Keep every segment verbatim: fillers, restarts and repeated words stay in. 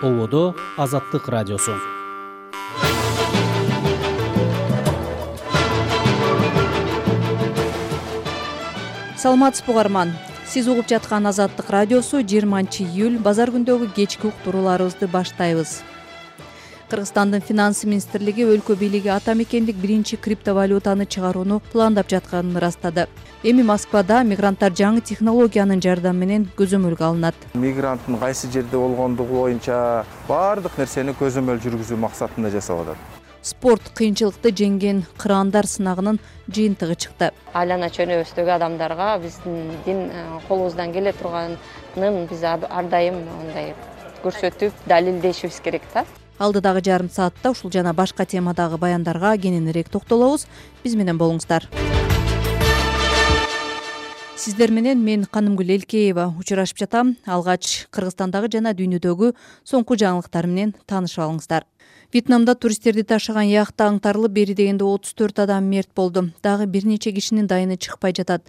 Ободо Азаттык радиосу. Саламатсызбы угарман. Сиз угуп жаткан Азаттык радиосу жыйырманчы июль базар күндөгү кечки уктурууларыбызды баштайбыз. Кыргызстандын финанс министрлиги өлкө бийлиги ата мекендик биринчи криптовалютаны чыгарууну пландап жатканын ырастады. Эми Москвада мигранттар жаңы технологиянын жардамы менен көзөмөлгө алынат. Мигранттын кайсы жерде болгондугу боюнча баардык нерсени көзөмөл жүргүзүү максатында жасап атат. Спорт кыйынчылыкты жеңген кыраандар сынагынын жыйынтыгы чыкты. Айлана чөнөбүздөгү адамдарга биздин колубуздан келе турганын биз ар дайым мындай көрсөтүп, далилдешибиз керек да. Алдыдагы жарым саатта ушул жана башка темадагы баяндарга кененирээк токтолобуз. Биз менен болуңуздар. Сиздер менен мен Канымгүл Элкеева учурашып жатам. Алгач Кыргызстандагы жана дүйнөдөгү соңку жаңылыктар менен таанышып алыңыздар. Вьетнамда туристтерди ташыган яхта аңтарылып, бери дегенде отуз төрт адам мерт болду. Дагы бир нече кишинин дайыны чыкпай жатат.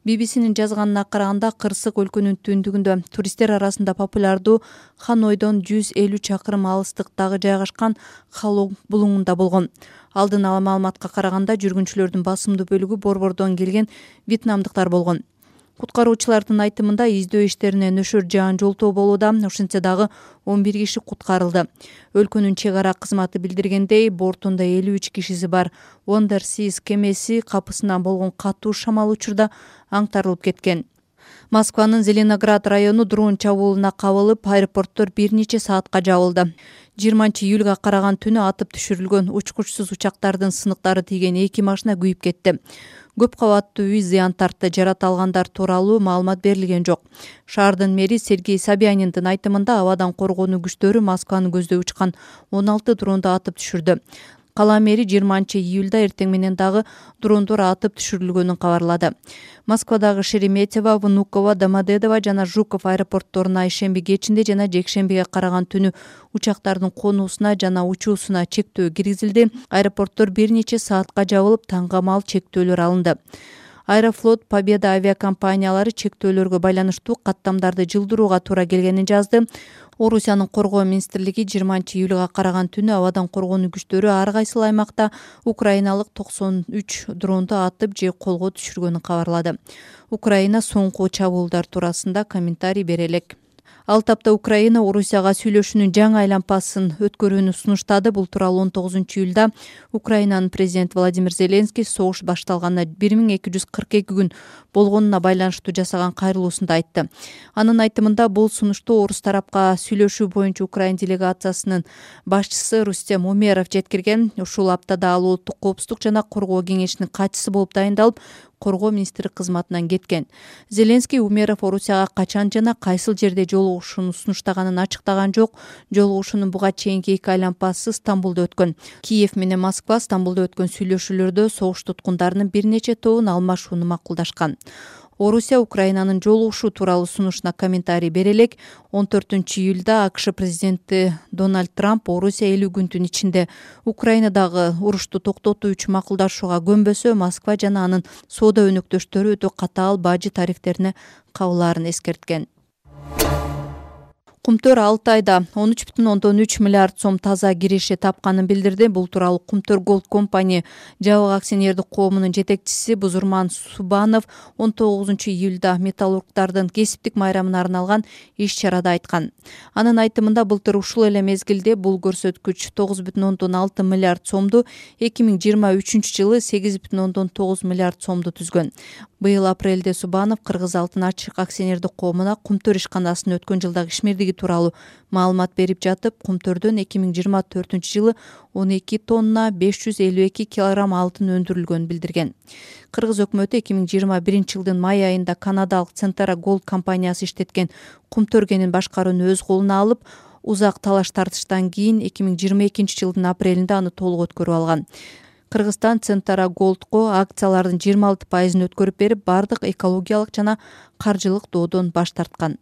би би синин жазганына караганда, кырсык өлкөнүн түндүгүндө туристтер арасында популярдуу Ханойдон жүз элүү чакырым алыстыктагы жайгашкан Халонг булуңунда болгон. Алдын ала маалыматка караганда, жүргүнчүлөрдүн басымдуу бөлүгү борбордон келген вьетнамдыктар болгон. Куткаруучулардын айтымында, издөө иштерине нөшөр жаан жолтоо болууда. Ошентсе дагы он бир киши куткарылды. Өлкөнүн чек ара кызматы билдиргендей, бортунда элүү үч кишиси бар Wonder Seas кемеси капысынан болгон катуу шамал учурда аңтарылып кеткен. Москванын Зеленоград району дрон чабуулуна кабылып, аэропорттор бир нече саатка жабылды. жыйырманчы июлга караган түнү атып түшүрүлгөн учкучсуз учактардын сыныктары тийген эки машина күйүп кетти. Көп кабаттуу үй зыян тартты. Жарата алгандар тууралуу маалымат берилген жок. Шаардын мэри Сергей Собяниндин айтымында, абадан коргонуу күчтөрү Москваны көздөй учкан он алты дронду атып түшүрдү. Кала мэри жыйырманчы июлда эртең менен дагы дрондор атып түшүрүлгөнүн кабарлады. Москвадагы Шереметьево, Внуково, Домодедово жана Жуков аэропортторуна ишемби кечинде жана жекшембиге караган түнү учактардын конуусуна жана учуусуна чектөө киргизилди. Аэропорттор бир нече саатка жабылып, таңгамал чектөөлөр алынды. Аэрофлот, Победа авиакомпаниялары чектөөлөргө байланыштуу каттамдарды жылдырууга туура келгенин жазды. Орусиянын коргоо министрлиги жыйырманчы июлга караган түнү абадан коргонуу күчтөрү ар кайсыл аймакта украиналык токсон үч дронду атып же колго түшүргөнүн кабарлады. Украина соңку чабуулдар туурасында комментарий бере элек. Ал тапта Украина Орусияга сүйлөшүүнүн жаңы айлампасын өткөрүүнү сунуштады. Бул тууралуу он тогузунчу июлда Украинанын президенти Владимир Зеленский согуш башталганына бир миң эки жүз кырк эки күн болгонуна байланыштуу жасаган кайрылуусунда айтты. Анын айтымында, бул сунушту орус тарапка сүйлөшүү боюнча Украин делегациясынын башчысы Рустем Умеров жеткирген. Ушул аптада ал Улуттук коопсуздук жана коргоо кеңешинин катчысы болуп дайындалып, коргоо министри кызматынан кеткен. Зеленский Умеров Орусияга качан жана кайсыл жерде жолугушууну сунуштаганын ачыктаган жок. Жолугушуунун буга чейинки эки айлампасы Стамбулда өткөн. Киев менен Москва Стамбулда өткөн сүйлөшүүлөрдө согуш туткундарынын бир нече тобун алмашууну макулдашкан. Орусия Украинанын жолугушуу тууралуу сунушуна комментарий бере элек. он төртүнчү июлда АКШ президенти Дональд Трамп Орусия элүү күндүн ичинде Украинадагы урушту токтотуу үчүн макулдашууга көнбөсө, Москва жана анын соода өнөктөштөрү өтө катаал бажы тарифтерине кабылаарын эскерткен. Кумтөр алты айда он үч бүтүн ондон үч миллиард сом таза киреше тапканын билдирди. Бул тууралуу Кумтөр Голд компания жабык акционердик коомунун жетекчиси Бузурман Субанов он тогузунчу июлда металлургдардын кесиптик майрамына арналган иш-чарада айткан. Анын айтымында, былтыр ушул эле мезгилде бул көрсөткүч тогуз бүтүн ондон алты миллиард сомду, эки миң жыйырма үчүнчү жылы сегиз бүтүн ондон тогуз миллиард сомду түзгөн. Быйыл апрелде Субанов Кыргыз алтын ачык акционердик коомуна Кумтөр ишканасынын өткөн жылдагы ишмердиги тууралуу маалымат берип жатып, Кумтөрдөн эки миң жыйырма төртүнчү жылы он эки тонна беш жүз элүү эки килограмм алтын өндүрүлгөнүн билдирген. Кыргыз өкмөтү эки миң жыйырма биринчи жылдын май айында канадалык Центара Голд компаниясы иштеткен Кумтөр кенин башкарууну өз колуна алып, узак талаш тартыштан кийин эки миң жыйырма экинчи жылдын апрелинде аны толук өткөрүп алган. Кыргызстан Центара Голдко акциялардын жыйырма алты пайызын өткөрүп берип, бардык экологиялык жана каржылык доодон баш тарткан.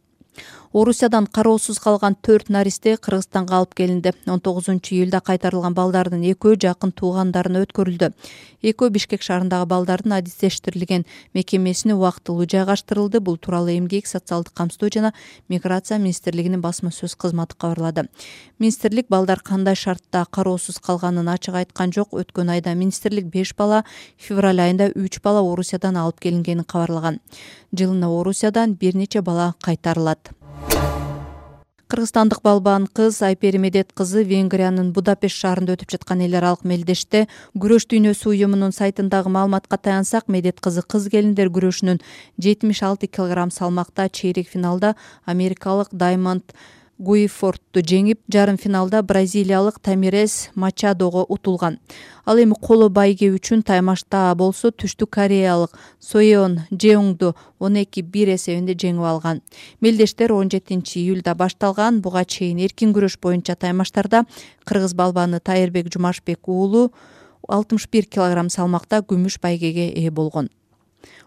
Орусиядан кароосуз калган төрт наристе Кыргызстанга алып келинди. он тогузунчу июлда кайтарылган балдардын экөө жакын туугандарына өткөрүлдү. Экөө Бишкек шаарындагы балдардын адистештирилген мекемесине убактылуу жайгаштырылды. Бул тууралуу Эмгек, социалдык камсыздоо жана миграция министрлигинин басма сөз кызматы кабарлады. Министрлик балдар кандай шартта кароосуз калганын ачык айткан жок. Өткөн айда министрлик беш бала, февраль айында үч бала Орусиядан алып келингенин кабарлаган. Жылына Орусиядан бир нече бала кайтарылат. Кыргызстандык балбан кыз Айпери Медет кызы Венгриянын Будапешт шаарында өтүп жаткан эл аралык мелдеште күрөш дүйнөсү уюмунун сайтындагы маалыматка таянсак, Медет кызы кыз келиндер күрөшүнүн жетимиш алты килограмм салмакта чейрек финалда америкалык Даймонд Гуифордту жеңип, жарым финалда бразилиялык Тамирес Мачадого утулган. Ал эми коло байге үчүн таймашта болсо түштүк кореялык Соеон Жеоңду он эки бир эсебинде жеңип алган. Мелдештер он жетинчи июлда башталган. Буга чейин эркин күрөш боюнча таймаштарда кыргыз балбаны Тайырбек Жумашбек уулу алтымыш бир килограмм салмакта күмүш байгеге ээ болгон.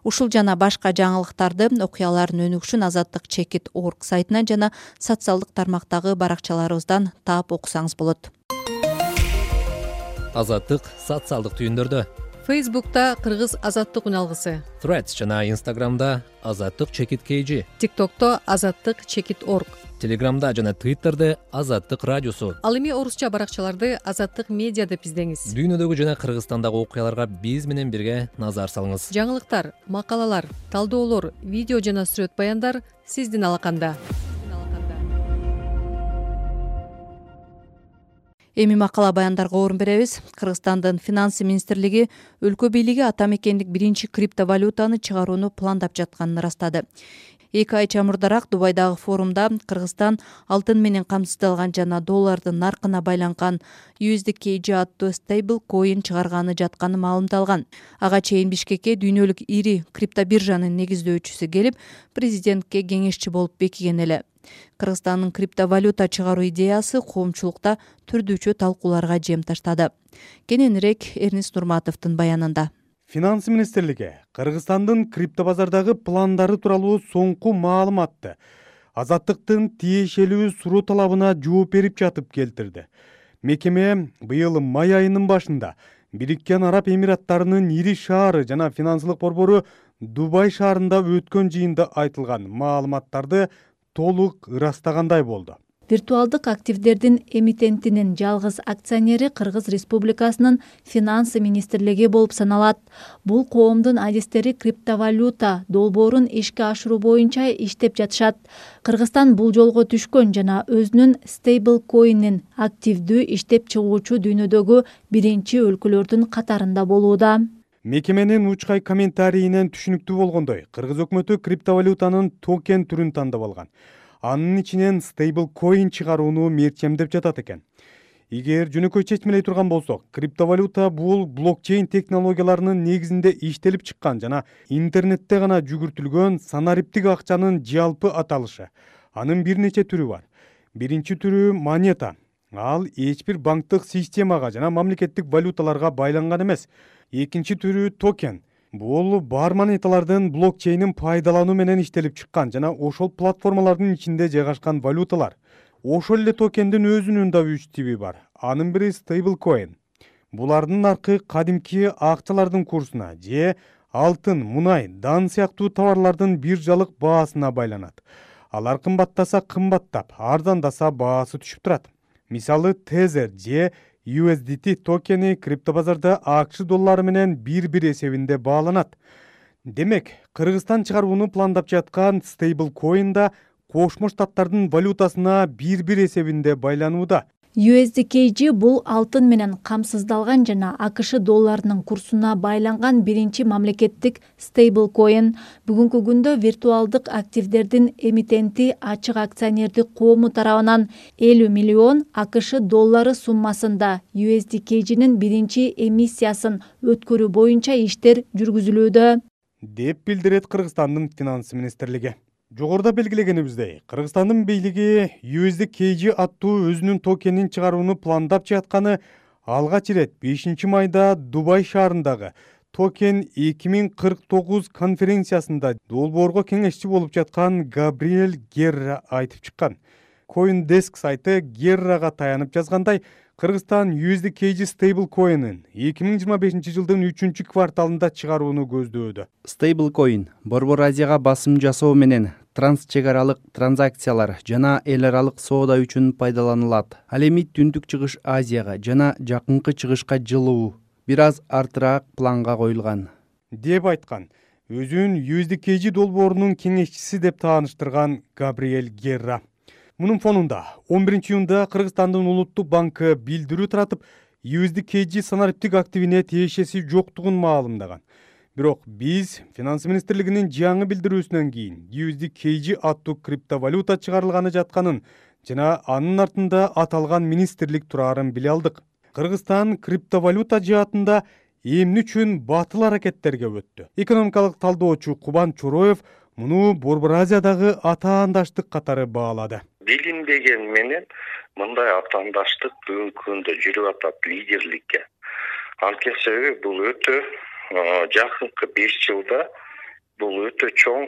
Ушул жана башка жаңылыктарды, окуялардын өнүгүшүн Азаттык чекит точка орг сайтынан жана социалдык тармактагы баракчаларыбыздан таап окусаңыз болот. Азаттык социалдык түйүндөрдө. Фейсбукта Кыргыз Азаттык үналгысы, Threads жана Instagramда Азаттык чекит kg, TikTokто Азаттык чекит точка орг, Telegramда жана Twitterде Азаттык радиосу. ал эми орусча баракчаларды Азаттык медиа деп издеңиз. Дүйнөдөгү жана Кыргызстандагы окуяларга биз менен бирге назар салыңыз. Жаңылыктар, макалалар, талдоолор, видео жана сүрөт баяндар сиздин алаканда. Эми макала баяндарга орун беребиз. Кыргызстандын финансы министрлиги өлкө бийлиги ата мекендик биринчи криптовалютаны чыгарууну пландап жатканын ырастады. Эки ай чамурдараак Дубайдагы форумда Кыргызстан алтын менен камсыздалган жана доллардын наркына байланган ю эс ди кей джи аттуу стейбл коин чыгарганы жатканы маалымдалган. Ага чейин Бишкекке дүйнөлүк ири криптобиржанын негиздөөчүсү келип, президентке кеңешчи болуп бекиген эле. Кыргызстандын криптовалюта чыгаруу идеясы коомчулукта түрдүүчү талкууларга жем таштады. Кененирээк Эрнис Нурматовдун баянында. Финансы министрлиги Кыргызстандын криптобазардагы пландары тууралуу соңку маалыматты Азаттыктын тиешелүү суроо талабына жооп берип жатып келтирди. Мекеме быйыл май айынын башында Бириккен Араб Эмираттарынын ири шаары жана финансылык борбору Дубай шаарында өткөн жыйында айтылган маалыматтарды толук ырастагандай болду. Виртуалдык активдердин эмитентинин жалгыз акционери Кыргыз Республикасынын финансы министрлиги болуп саналат. Бул коомдун адистери криптовалюта долбоорун ишке ашыруу боюнча иштеп жатышат. Кыргызстан бул жолго түшкөн жана өзүнүн стейбл коинин активдүү иштеп чыгуучу дүйнөдөгү биринчи өлкөлөрдүн катарында болууда. Мекеменин учкай комментарийинен түшүнүктүү болгондой, Кыргыз өкмөтү криптовалютанын токен түрүн тандап алган. Анын ичинен стейбл коин чыгарууну мерчемдеп жатат экен. Эгер жөнөкөй чечмелей турган болсок, криптовалюта бул блокчейн технологияларынын негизинде иштелип чыккан жана интернетте гана жүгүртүлгөн санариптик акчанын жалпы аталышы. Анын бир нече түрү бар. Биринчи түрү монета. Ал эч бир банктык системага жана мамлекеттик валюталарга байланган эмес. Экинчи түрү токен. Бул бар монеталардын блокчейнин пайдалануу менен иштелип чыккан жана ошол платформалардын ичинде жайгашкан валюталар. Ошол эле токендин өзүнүн да үч тиби бар. Анын бири стейблкоин. Булардын наркы кадимки акчалардын курсуна же алтын, мунай, дан сыяктуу товарлардын биржалык баасына байланат. Алар кымбаттаса кымбаттап, арзандаса баасы түшүп турат. Мисалы Tether же ю эс ди ти токени криптобазарда АКШ доллары менен бир-бир эсебинде бааланат. Демек, Кыргызстан чыгарууну пландап жаткан стейблкоин да Кошмо Штаттардын валютасына бир-бир эсебинде байланууда. ю эс ди кей джи бул алтын менен камсыздалган жана АКШ долларынын курсуна байланган биринчи мамлекеттик стейблкоин. Бүгүнкү күндө виртуалдык активдердин эмитенти ачык акционердик коому тарабынан элүү миллион АКШ доллары суммасында ю эс ди кей джинин биринчи эмиссиясын өткөрүү боюнча иштер жүргүзүлүүдө, деп билдирет Кыргызстандын финансы министрлиги. Жогоруда белгилегенибиздей, Кыргызстандын бийлиги ю эс ди кей джи аттуу өзүнүн токенин чыгарууну пландап жатканы алгач ирет бешинчи майда Дубай шаарындагы Токен эки миң кырк тогуз конференциясында долбоорго кеңешчи болуп жаткан Габриэль Герра айтып чыккан. CoinDesk сайты Геррага таянып жазгандай, Кыргызстан ю эс ди кей джи стейблкоинин эки миң жыйырма бешинчи жылдын үчүнчү кварталында чыгарууну көздөөдө. Стейблкоин Борбор Азияга басым жасоо менен транс чек аралык транзакциялар жана эл аралык соода үчүн пайдаланылат. Ал эми Түндүк Чыгыш Азияга жана Жакынкы Чыгышка жылуу бир аз артыраак планга коюлган деп айткан. Өзүн ю эс ди кей джи долбоорунун кеңешчиси деп тааныштырган Габриэль Герра. Мунун фонунда он биринчи июнда Кыргызстандын Улуттук банкы билдирүү таратып, ю эс ди кей джи санариптик активине тиешеси жоктугун маалымдаган. Бирок биз Финансы министрлигинин жаңы билдирүүсүнөн кийин ю эс ди кей джи аттуу криптовалюта чыгарылганы жатканын жана анын артында аталган министрлик турарын биле алдык. Кыргызстан криптовалюта жаатында эмне үчүн батыл аракеттерге өттү? Экономикалык талдоочу Кубан Чороев муну Борбор Азиядагы атаандаштык катары баалады. Билинбеген менен мындай атаандаштык бүгүнкү күндө жүрүп атат лидерликке. Анткени себеби бул өтө жакынкы беш жылда бул өтө чоң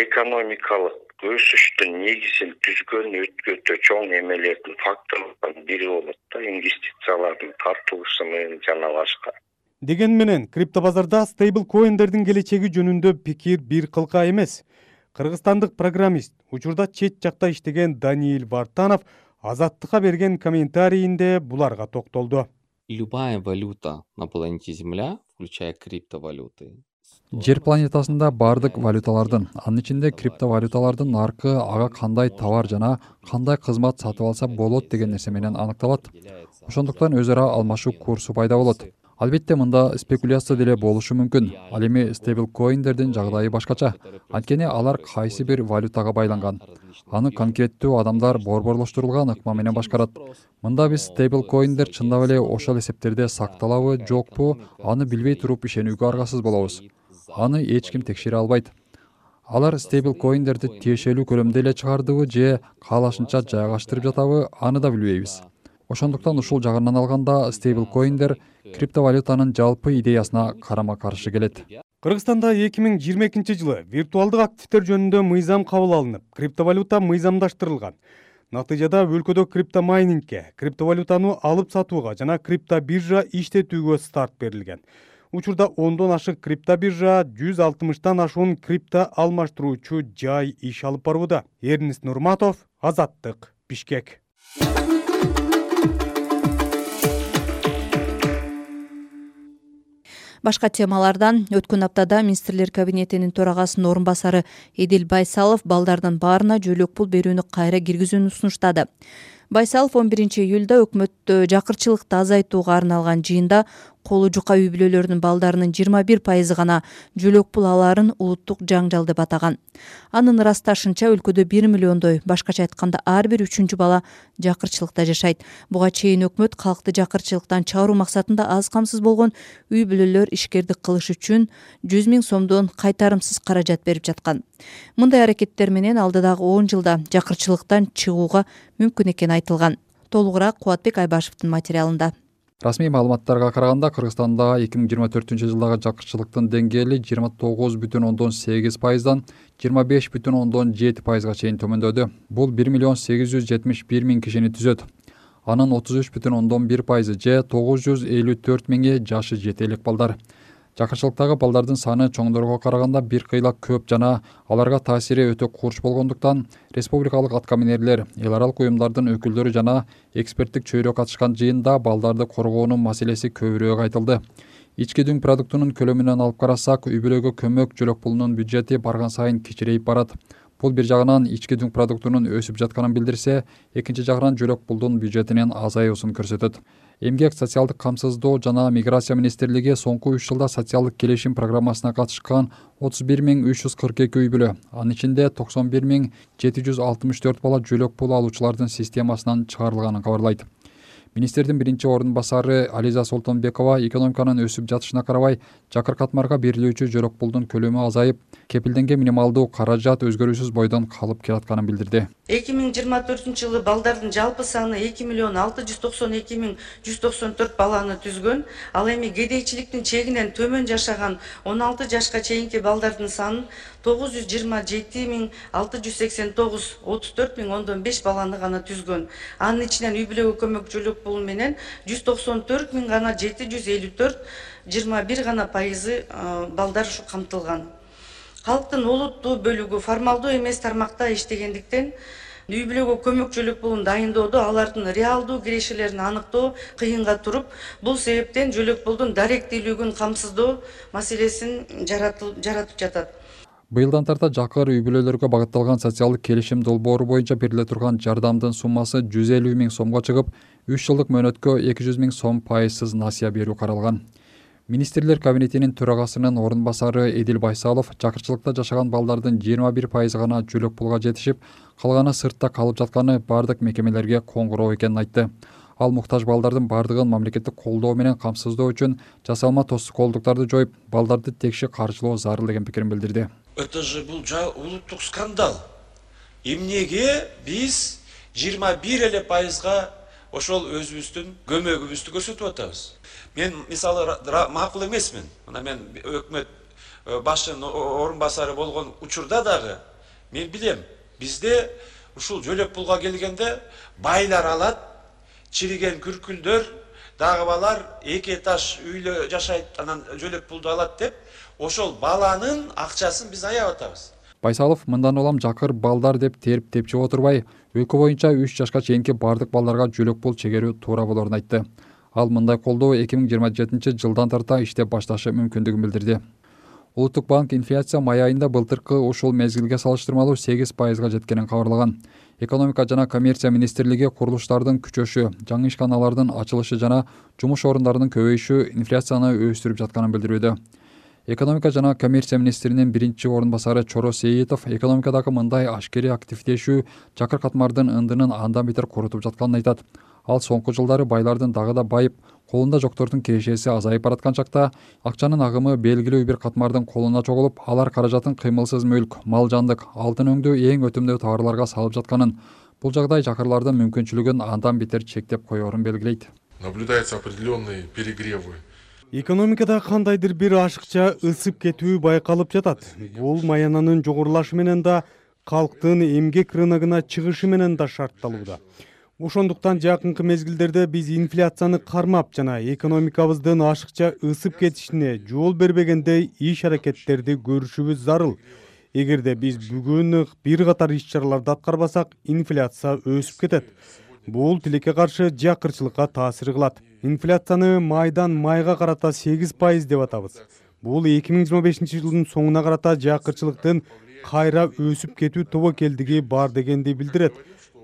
экономикалык өсүштүн негизин түзгөн өтө чоң эмелердин факторлордун бири болот да, инвестициялардын тартылышы менен жана башка. Деген менен криптобазарда стейблкоиндердин келечеги жөнүндө пикир бир кылка эмес. Кыргызстандык программист, учурда чет жакта иштеген Даниил Вартанов Азаттыкка берген комментарийинде буларга токтолду. Любая валюта на планете Земля, включая криптовалюты. Жер планетасында бардык валюталардын, анын ичинде криптовалюталардын наркы ага кандай товар жана кандай кызмат сатып алса болот деген нерсе менен аныкталат. Ошондуктан өз ара алмашуу курсу пайда болот. Албетте мында спекуляция деле болушу мүмкүн. Ал эми стейблкоиндердин жагдайы башкача. Анткени алар кайсы бир валютага байланган. Аны конкреттүү адамдар борборлоштурулган ыкма менен башкарат. Мында биз стейблкоиндер чындап эле ошол эсептерде сакталабы, жокпу, аны билбей туруп ишенүүгө аргасыз болобуз. Аны эч ким текшере албайт. Алар стейблкоиндерди тиешелүү көлөмдө эле чыгардыбы же каалашынча жайгаштырып жатабы, аны да билбейбиз. Ошондуктан ушул жагынан алганда стейблкоиндер криптовалютанын жалпы идеясына карама-каршы келет. Кыргызстанда эки миң жыйырма экинчи жылы виртуалдык активдер жөнүндө мыйзам кабыл алынып, криптовалюта мыйзамдаштырылган. Натыйжада өлкөдө криптомайнингке, криптовалютаны алып сатууга жана криптобиржа иштетүүгө старт берилген. Учурда ондон ашык криптобиржа, жүз алтымыштан ашуун крипто алмаштыруучу жай иш алып барууда. Эрнест Нурматов, Азаттык, Бишкек. Башка темалардан өткөн аптада министрлер кабинетинин төрагасынын орун басары Эдил Байсалов балдардын баарына жөлөк пул берүүнү кайра киргизүүнү сунуштады. Байсалов он биринчи июлда өкмөттө жакырчылыкты азайтууга арналган жыйында колу жука үй бүлөлөрүнүн балдарынын жыйырма бир пайызы гана жөлөк пул алаарын улуттук жаңжал деп атаган. Анын ырасташынча өлкөдө бир миллиондой, башкача айтканда ар бир үчүнчү бала жакырчылыкта жашайт. Буга чейин өкмөт калкты жакырчылыктан чыгаруу максатында аз камсыз болгон үй бүлөлөр ишкердик кылыш үчүн жүз миң сомдон кайтарымсыз каражат берип жаткан. Мындай аракеттер менен алдыдагы он жылда жакырчылыктан чыгууга мүмкүн экени айтылган. Толугураак Кубатбек Айбашевдин материалында. Расмий маалыматтарга караганда Кыргызстанда эки миң жыйырма төртүнчү жылдагы жакырчылыктын деңгээли жыйырма тогуз бүтүн ондон сегиз пайыздан жыйырма беш бүтүн ондон жети пайызга чейин төмөндөдү. Бул бир миллион сегиз жүз жетимиш бир миң кишини түзөт. Анын отуз үч бүтүн ондон бир пайызы же тогуз жүз элүү төрт миңи жашы жете элек балдар. Жакырчылыктагы балдардын саны чоңдорго караганда бир кыйла көп жана аларга таасири өтө курч болгондуктан республикалык аткаминерлер, эл аралык уюмдардын өкүлдөрү жана эксперттик чөйрө катышкан жыйында балдарды коргоонун маселеси көбүрөөк айтылды. Ички дүң продуктунун көлөмүнөн алып карасак, үй бүлөгө көмөк жөлөк пулунун бюджети барган сайын кичирейип барат. Бул бир жагынан ички дүң продуктунун өсүп жатканын билдирсе, экинчи жагынан жөлөк пулдун бюджетинин азаюусун көрсөтөт. Эмгек, социалдык камсыздоо жана миграция министрлиги соңку үч жылда социалдык келишим программасына катышкан отуз бир миң үч жүз кырк эки үй бүлө, анын ичинде токсон бир миң жети жүз алтымыш төрт бала жөлөк пул алуучулардын системасынан чыгарылганын кабарлайт. Министрдин биринчи орун басары Ализа Солтонбекова экономиканын өсүп жатышына карабай, жакыр катмарга берилүүчү жөлөк пулдун көлөмү азайып, кепилденген минималдуу каражат өзгөрүүсүз бойдон калып келатканын билдирди. эки миң жыйырма төртүнчү жылы балдардын жалпы саны эки миллион алты жүз токсон эки миң жүз токсон төрт баланы түзгөн. Ал эми кедейчиликтин чегинен төмөн жашаган он алты жашка чейинки балдардын саны тогуз жүз жыйырма жети миң алты жүз сексен тогуз, отуз төрт миң ондон беш баланы гана түзгөн. Анын ичинен үй бүлөгө көмөкчүлүк пулу менен жүз токсон төрт миң гана жети жүз элүү төрт, жыйырма бир гана пайызы балдар ушу камтылган. Халктын олуттуу бөлүгү формалдуу эмес тармакта иштегендиктен үй бүлөгө көмөкчүлүк пулун дайындоодо алардын реалдуу кирешелерин аныктоо кыйынга туруп, бул себептен жөлөк пулдун даректүүлүгүн камсыздоо маселесин жаратып жатат. Быйылдан тарта жакыр үй бүлөлөргө багытталган социалдык келишим долбоору боюнча бериле турган жардамдын суммасы жүз элүү миң сомго чыгып, үч жылдык мөөнөткө эки жүз миң сом пайызсыз насыя берүү каралган. Министрлер кабинетинин төрагасынын орун басары Эдил Байсалов жакырчылыкта жашаган балдардын жыйырма бир пайызы гана жөлөк пулга жетишип, калганы сыртта калып жатканы бардык мекемелерге коңгуроо экенин айтты. Ал муктаж балдардын бардыгын мамлекеттик колдоо менен камсыздоо үчүн жасалма тоскоолдуктарды жоюп, балдарды текши каржылоо зарыл деген пикирин билдирди. Это же бул улуттук скандал. Эмнеге биз жыйырма бир эле пайызга ошол өзүбүздүн көмөгүбүздү көрсөтүп атабыз? Мен мисалы макул эмесмин. Мына мен өкмөт башчынын орун басары болгон учурда дагы мен билем, бизде ушул жөлөк пулга келгенде байлар алат, чириген күркүлдөр, дагы балар эки этаж үйлө жашайт, анан жөлөк пулду алат деп, ошол баланын акчасын биз аябап атабыз. Байсалов мындан улам жакыр балдар деп терип тепчип отурбай, өлкө боюнча үч жашка чейинки бардык балдарга жөлөк пул чегерүү туура болорун айтты. Ал мындай колдоо эки миң жыйырма жетинчи жылдан тарта иштеп башташы мүмкүндүгүн билдирди. Улуттук банк инфляция май айында былтыркы ушул мезгилге салыштырмалуу сегиз пайызга жеткенин кабарлаган. Экономика жана коммерция министрлиги курулуштардын күчөшү, жаңы ишканалардын ачылышы жана жумуш орундарынын көбөйүшү инфляцияны өстүрүп жатканын билдирүүдө. Экономика жана коммерция министринин биринчи орун басары Чоро Сейитов экономикадагы мындай ашкери активдешүү жакыр катмардын ындынын андан бетер корутуп жатканын айтат. Ал соңку жылдары байлардын дагы да байып, колунда жоктордун кирешеси азайып бараткан чакта акчанын агымы белгилүү бир катмардын колуна чогулуп, алар каражатын кыймылсыз мүлк, мал жандык, алтын өңдүү эң өтүмдүү товарларга салып жатканын, бул жагдай жакырлардын мүмкүнчүлүгүн андан бетер чектеп коерун белгилейт. Наблюдаются определенные перегревы. Экономикада кандайдыр бир ашыкча ысып кетүү байкалып жатат. Бул маянанын жогорулашы менен да, калктын эмгек рыногуна чыгышы менен да шартталууда. Ошондуктан жакынкы мезгилдерде биз инфляцияны кармап жана экономикабыздын ашыкча ысып кетишине жол бербегендей иш-аракеттерди көрүшүбүз зарыл. Эгерде биз бүгүн бир катар иш-чараларды аткарбасак, инфляция өсүп кетет. Бул тилекке каршы жакырчылыкка таасир кылат. Инфляцияны майдан майга карата сегиз пайыз деп атабыз. Бул эки миң жыйырма бешинчи жылдын соңуна карата жакырчылыктын кайра өсүп кетүү тобокелдиги бар дегенди билдирет.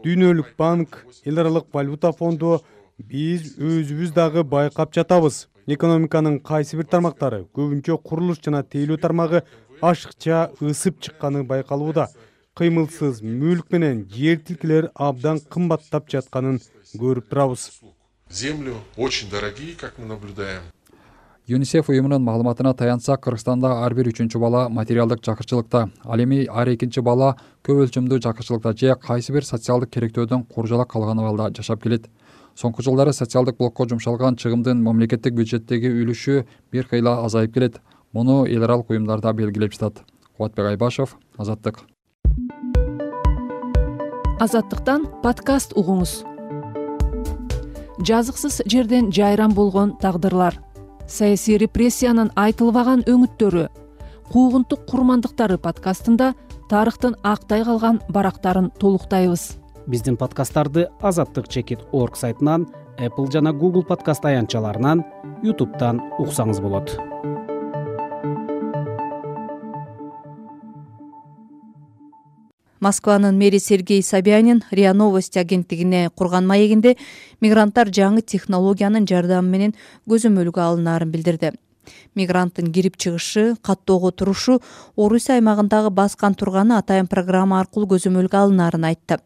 Дүйнөлүк банк, эл аралык валюта фонду биз өзүбүз дагы байкап жатабыз. Экономиканын кайсы бир тармактары, көбүнчө курулуш жана тейлөө тармагы ашыкча ысып чыкканы байкалууда. Кыймылсыз мүлк менен жер тилкелер абдан кымбаттап жатканын көрүп турабыз. Землю очень дорогие, как мы наблюдаем. ЮНИСЕФ уюмунун маалыматына таянсак, Кыргызстанда ар бир үчүнчү бала материалдык жакырчылыкта, ал эми ар экинчи бала көп өлчөмдүү жакырчылыкта же кайсы бир социалдык керектөөдөн куржалак калган абалда жашап келет. Соңку жылдары социалдык блокко жумшалган чыгымдын мамлекеттик бюджеттеги үлүшү бир кыйла азайып келет. Муну эл аралык уюмдар да белгилеп жатат. Кубатбек Айбашев, Азаттык. Азаттыктан подкаст угуңуз. Жазыксыз жерден жайран болгон тагдырлар, саясий репрессиянын айтылбаган өңүттөрү, куугунтук курмандыктары подкастында тарыхтын актай калган барактарын толуктайбыз. Биздин подкасттарды азаттык чекит точка орг сайтынан, Apple жана Google подкаст аянтчаларынан, YouTube'дан уксаңыз болот. Москванын мэри Сергей Собянин РИА Новости агенттигине курган маегинде мигранттар жаңы технологиянын жардамы менен көзөмөлгө алынаарын билдирди. Мигранттын кирип чыгышы, каттоого турушу Орусия аймагындагы баскан турганы атайын программа аркылуу көзөмөлгө алынаарын айтты.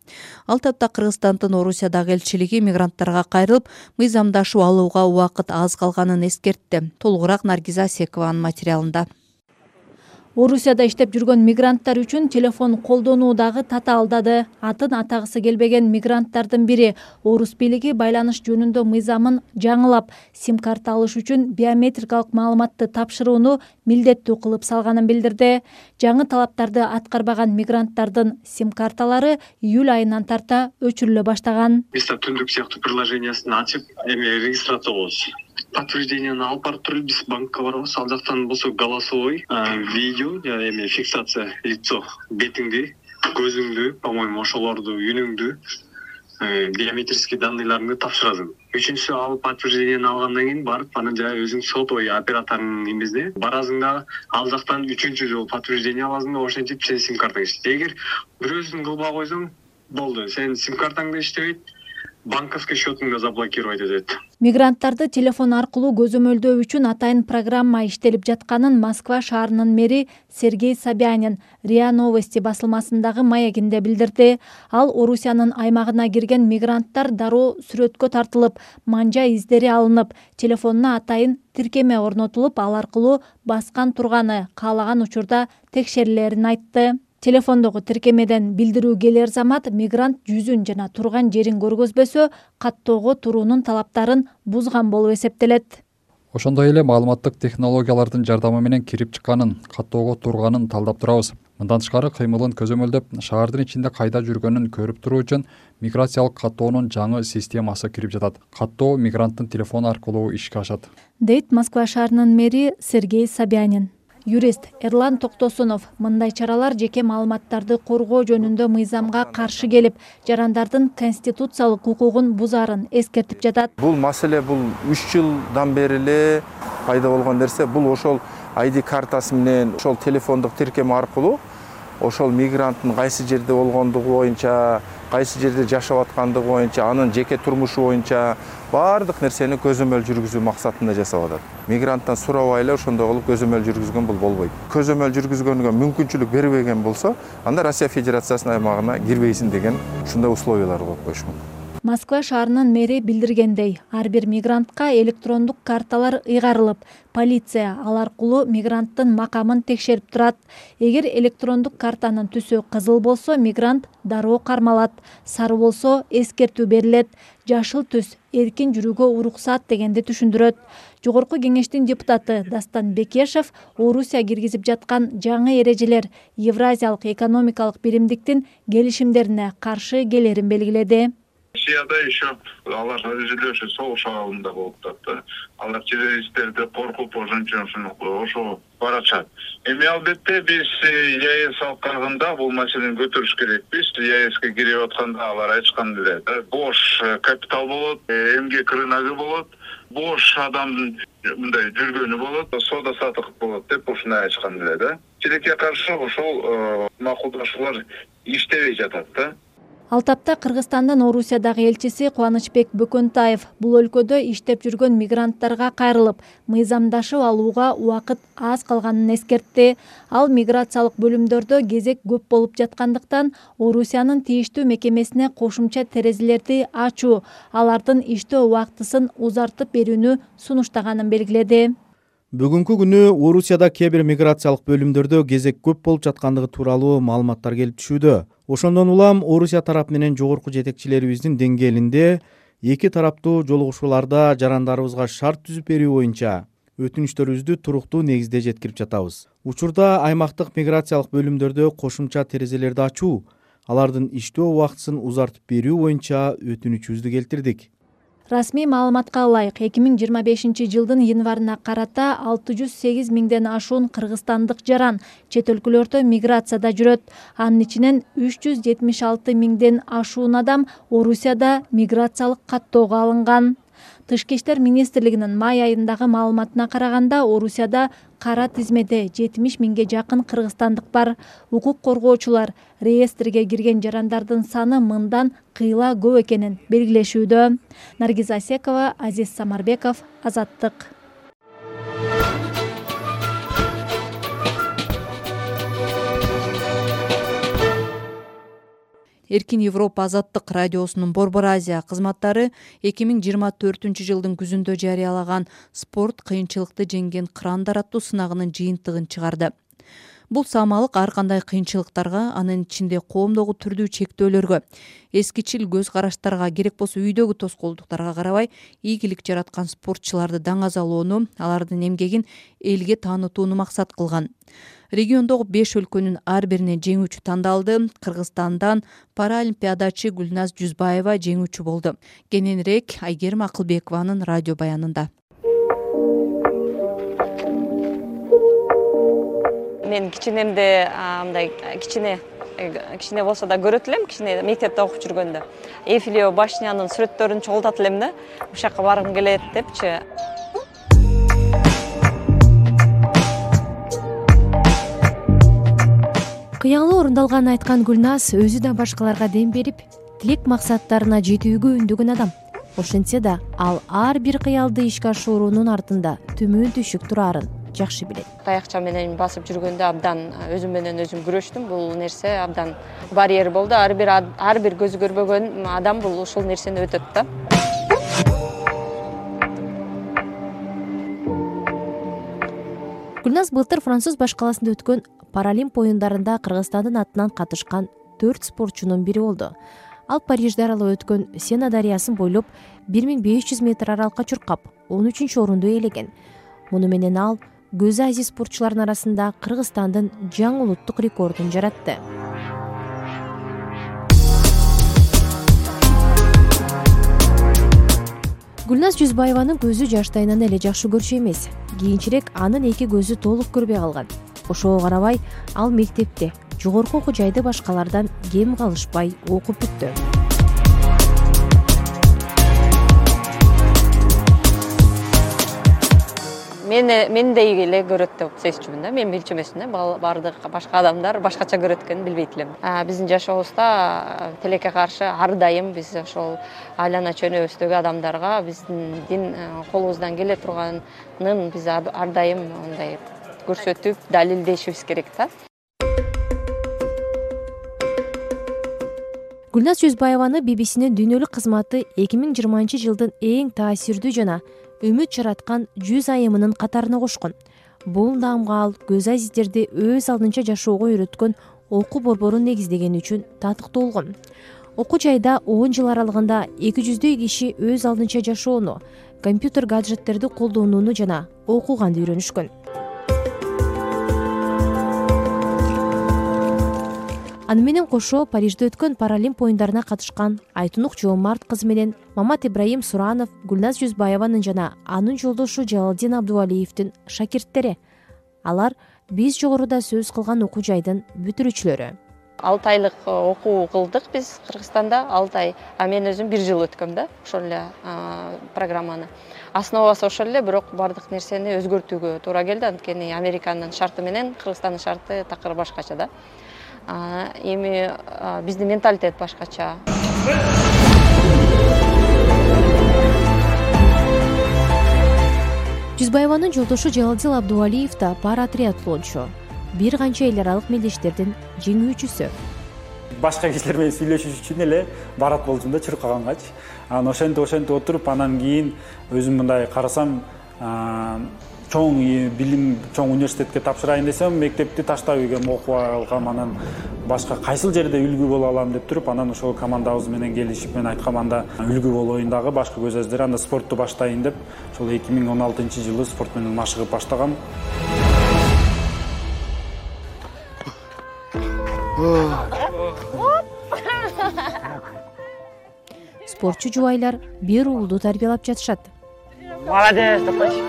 Ал тапта Кыргызстандын Орусиядагы элчилиги мигранттарга кайрылып, мыйзамдашуу алууга убакыт аз калганын эскертти. Толугураак Наргиза Асекованын материалында. Орусияда иштеп жүргөн мигранттар үчүн телефон колдонуу дагы татаалдады. Атын атагысы келбеген мигранттардын бири орус бийлиги байланыш жөнүндө мыйзамын жаңылап, сим-карта алыш үчүн биометрикалык маалыматты тапшырууну милдеттүү кылып салганын билдирди. Жаңы талаптарды аткарбаган мигранттардын сим-карталары июль айынан тарта өчүрүлө баштаган. Биз түндүк сыяктуу приложениясын ачып, эми регистрация болобуз. Подтверждениени алып барып туруп биз банкка барабыз. Ал жактан болсо голосовой видео, эми фиксация лицо, бетиңди, көзүңдү, по-моему, ошолорду, үнүңдү, биометрический данныйларыңды тапшырасың. Үчүнчүсү алып подтверждениени алгандан кийин барып, анан жай өзүң сотовый операторунун эмесине барасың да, ал жактан үчүнчү жолу подтверждение аласың да, ошентип сен сим-картаң иштейт. Эгер бирөөсүн кылбай койсоң, болду. Сен сим-картаң да иштебейт, банковский счетуңду заблокировать этет. Мигранттарды телефон аркылуу көзөмөлдөө үчүн атайын программа иштелип жатканын Москва шаарынын мэри Сергей Собянин РИА Новости басылмасындагы маегинде билдирди. Ал Орусиянын аймагына кирген мигранттар дароо сүрөткө тартылып, манжа издери алынып, телефонуна атайын тиркеме орнотулуп, ал аркылуу баскан турганы каалаган учурда текшерилерин айтты. Телефондогу тиркемеден билдирүү келер замат мигрант жүзүн жана турган жерин көргөзбөсө, каттоого туруунун талаптарын бузган болуп эсептелет. Ошондой эле маалыматтык технологиялардын жардамы менен кирип чыкканын, каттоого турганын талдап турабыз. Мындан тышкары кыймылын көзөмөлдөп, шаардын ичинде кайда жүргөнүн көрүп туруу үчүн миграциялык каттоонун жаңы системасы кирип жатат. Каттоо мигранттын телефону аркылуу ишке ашат, дейт Москва шаарынын мэри Сергей Собянин. Юрист Эрлан Токтосунов мындай чаралар жеке маалыматтарды коргоо жөнүндө мыйзамга каршы келип, жарандардын конституциялык укугун бузаарын эскертип жатат. Бул маселе бул үч жылдан бери эле пайда болгон нерсе. Бул ошол ай ди картасы менен, ошол телефондук тиркеме аркылуу ошол мигранттын кайсы жерде болгондугу боюнча, кайсы жерде жашап аткандыгы боюнча, анын жеке турмушу боюнча баардык нерсени көзөмөл жүргүзүү максатында жасап атат. Мигранттан сурабай эле ошондой кылып көзөмөл жүргүзгөн бул болбойт. Көзөмөл жүргүзгөнгө мүмкүнчүлүк бербеген болсо, анда Россия Федерациясынын аймагына кирбейсиң деген ушундай условиялар коюп койушмун. Москва шаарынын мэри билдиргендей, ар бир мигрантка электрондук карталар ыйгарылып, полиция ал аркылуу мигранттын макамын текшерип турат. Эгер электрондук картанын түсү кызыл болсо, мигрант дароо кармалат, сары болсо эскертүү берилет, жашыл түс эркин жүрүүгө уруксат дегенди түшүндүрөт. Жогорку кеңештин депутаты Дастан Бекешев Орусия киргизип жаткан жаңы эрежелер Евразиялык экономикалык биримдиктин келишимдерине каршы келерин белгиледи. Россияда еще алар өзүлөшү соғыш абалында болуп атат. Алар террористтерди коркуп ошончон ошо барачат. Эми албетте биз ЕАЭС алкагында бул маселени көтөрүш керекпиз. ЕАЭСке кирип атканда алар айткан эле, бош капитал болот, эмгек рыногу болот, бош адамдын мындай жүргөнү болот, соода саттык болот деп ушуну айткан эле да. Тилекке каршы ошол макулдашуулар иштебей жатат да. Ал тапта Кыргызстандын Орусиядагы элчиси Кубанычбек Бөкөнтаев бул өлкөдө иштеп жүргөн мигранттарга кайрылып, мыйзамдашып алууга убакыт аз калганын эскертти. Ал миграциялык бөлүмдөрдө кезек көп болуп жаткандыктан Орусиянын тийиштүү мекемесине кошумча терезелерди ачуу, алардын иштөө убактысын узартып берүүнү сунуштаганын белгиледи. Бүгүнкү күнү Орусияда кээ бир миграциялык бөлүмдөрдө кезек көп болуп жаткандыгы тууралуу маалыматтар келип түшүүдө. Ошондон улам Орусия тарап менен жогорку жетекчилерибиздин деңгээлинде эки тараптуу жолугушууларда жарандарыбызга шарт түзүп берүү боюнча өтүнүчтөрүбүздү туруктуу негизде жеткирип жатабыз. Учурда аймактык миграциялык бөлүмдөрдө кошумча терезелерди ачуу, алардын иштөө убактысын узартып берүү боюнча өтүнүчүбүздү келтирдик. Расмий маалыматка ылайык, эки миң жыйырма бешинчи жылдын январына карата алты жүз сегиз миңден ашуун кыргызстандык жаран чет өлкөлөрдө миграцияда жүрөт. Анын ичинен үч жүз жетимиш алты миңден ашуун адам Орусияда миграциялык каттоого алынган. Тышкы иштер министрлигинин май айындагы маалыматына караганда, Орусияда кара тизмеде жетимиш миңге жакын кыргызстандык бар. Укук коргоочулар реестрге кирген жарандардын саны мындан кыйла көп экенин белгилешүүдө. Наргиз Асекова, Азиз Самарбеков, Азаттык. Эркин Европа азаттык радиосунун Борбор Азия кызматтары эки миң жыйырма төртүнчү жылдын күзүндө жарыялаган спорт кыйынчылыкты жеңген кырандар аттуу сынагынын жыйынтыгын чыгарды. Бул саамалык ар кандай кыйынчылыктарга, анын ичинде коомдогу түрдүү чектөөлөргө, эскичил көз караштарга, керек болсо үйдөгү тоскоолдуктарга карабай ийгилик жараткан спортчуларды даңазалоону, алардын эмгегин элге таанытууну максат кылган. Региондогу беш өлкөнүн ар бирине жеңүүчү тандалды. Кыргызстандан параолимпиадачы Гүлназ Жүзбаева жеңүүчү болду. Кененирээк Айгерим Акылбекованын радио баянында. Мен кичинемде мындай кичине кичине болсо да көрөт элем, кичине мектепте окуп жүргөндө. Эйфелева башнянын сүрөттөрүн чогултат элем да. Ушул жака баргым келет депчи. Кыялы орундалганын айткан Гүлназ өзү да башкаларга дем берип, тилек максаттарына жетүүгө үндөгөн адам. Ошентсе да, ал ар бир кыялды ишке ашыруунун артында төмөн түшүк турарын жакшы билет. Таякча менен басып жүргөндө абдан өзүм менен өзүм күрөштүм. Бул нерсе абдан барьер болду. Ар бир ар бир көзү көрбөгөн адам бул ушул нерсени өтөт да. Гүлназ былтыр Француз башкаласында өткөн Паралимп оюндарында Кыргызстандын атынан катышкан төрт спортчунун бири болду. Ал Парижде аралап өткөн Сена дарыясын бойлоп бир миң беш жүз метр аралыкка чуркап, он үчүнчү орунду ээлеген. Муну менен ал көзү азиз спортчулардын арасында Кыргызстандын жаңы улуттук рекордун жаратты. Гүлназ Жүзбаеванын көзү жаштайынан эле жакшы көрчү эмес. Кийинчерээк анын эки көзү толук көрбөй калган. Ошого карабай, ал мектепте жогорку окуу жайды башкалардан кем калышпай окуп бүттү. Мени мендей эле көрөт деп сезчүмүн да. Мен билчү эмесмин да. Бардык башка адамдар башкача көрөт экенин билбейт элем. Биздин жашообузда тилекке каршы ар дайым биз ошол айлана чөнөбүздөгү адамдарга биздин колубуздан келе турганын биз ар дайым мындай көрсөтүп, далилдешибиз керек да. Гүлназ Жүзбаеваны би би синин дүйнөлүк кызматы эки миң жыйырманчы жылдын эң таасирдүү жана үмүт жараткан жүз айымынын катарына кошкон. Бул наамга ал көз азиздерди өз алдынча жашоого үйрөткөн окуу борборун негиздегени үчүн татыктуу болгон. Окуу жайда он жыл аралыгында эки жүздөй киши өз алдынча жашоону, компьютер гаджеттерди колдонууну жана окуганды үйрөнүшкөн. Аны менен кошо Парижде өткөн Паралимп оюндарына катышкан Айтунук Жоомарт кызы менен Мамат Ибраим Суранов Гүлназ Жүзбаеванын жана анын жолдошу Жалалдин Абдувалиевдин шакирттери. Алар биз жогоруда сөз кылган окуу жайдын бүтүрүүчүлөрү. алты айлык окуу кылдык биз Кыргызстанда, алты ай. А мен өзүм бир жыл өткөм да, ошол эле программаны. Основасы ошол эле, бирок бардык нерсени өзгөртүүгө туура келди. Анткени Американын шарты менен Кыргызстандын шарты такыр башкача да. Эми биздин менталитет башкача. Жүзбаеванын жолдошу Жалалдин Абдувалиев да пара триатлончу. Бир канча эл аралык мелдештердин жеңүүчүсү. Башка кишилер менен сүйлөшүш үчүн эле барат болчумун да чуркагангач. Анан ошентип ошентип отуруп анан кийин өзүм мындай карасам, чоң билим, чоң университетке тапшырайын десем, мектепти таштап үйгөм, окуп алгам, анан башка кайсыл жерде үлгү боло алам деп туруп, анан ошол командабыз менен келишип, мен айткам, анда үлгү болоюн дагы башка көз азиздер, анда спортту баштайын деп, ошол эки миң он алтынчы жылы спорт менен машыгып баштагам. Спортчу жубайлар бир уулду тарбиялап жатышат. Молодец, топочи.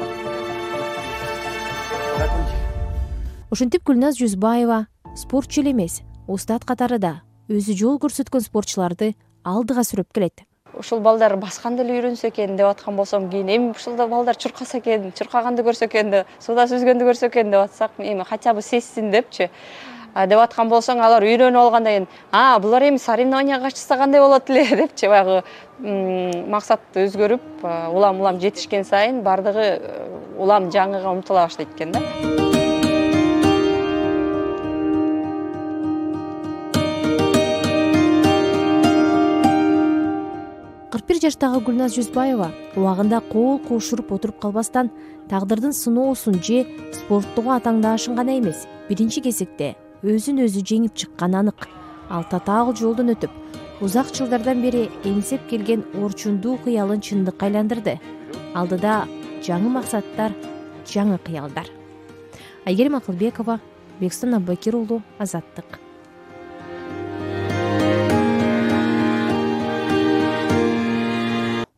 Ошентип Гүлназ Жүзбаева спортчу эле эмес, устат катарында өзү жол көрсөткөн спортчуларды алдыга сүрөп келет. Ушул балдар басканды эле үйрөнсө экен деп аткан болсом, кийин эми ушул балдар чуркаса экен, чуркаганды көрсө экен, суда сүзгөндү көрсө экен деп атсак, эми хотя бы сезсин депчи деп аткан болсоң, алар үйрөнүп алгандан кийин, а, булар эми соревнованияга катышса кандай болот эле депчи баягы максат өзгөрүп, улам-улам жетишкен сайын бардыгы улам жаңыга умтула баштайт экен да. кырк бир жаштагы Гүлназ Жүзбаева убагында кол кошуруп отуруп калбастан тагдырдын сыноосун же спорттогу атаңдаашын гана эмес, биринчи кезекте өзүн өзү жеңип чыкканы анык. Ал татаал жолдон өтүп, узак жылдардан бери эңсеп келген орчундуу кыялын чындыкка айландырды. Алдыда жаңы максаттар, жаңы кыялдар. Айгерим Акылбекова, Бекстон Аббакир уулу, Азаттык.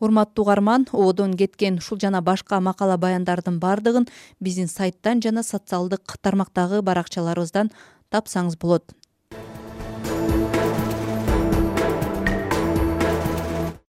Урматтуу угарман, ободон кеткен ушул жана башка макала баяндардын бардыгын биздин сайттан жана социалдык тармактагы баракчаларыбыздан тапсаңыз болот.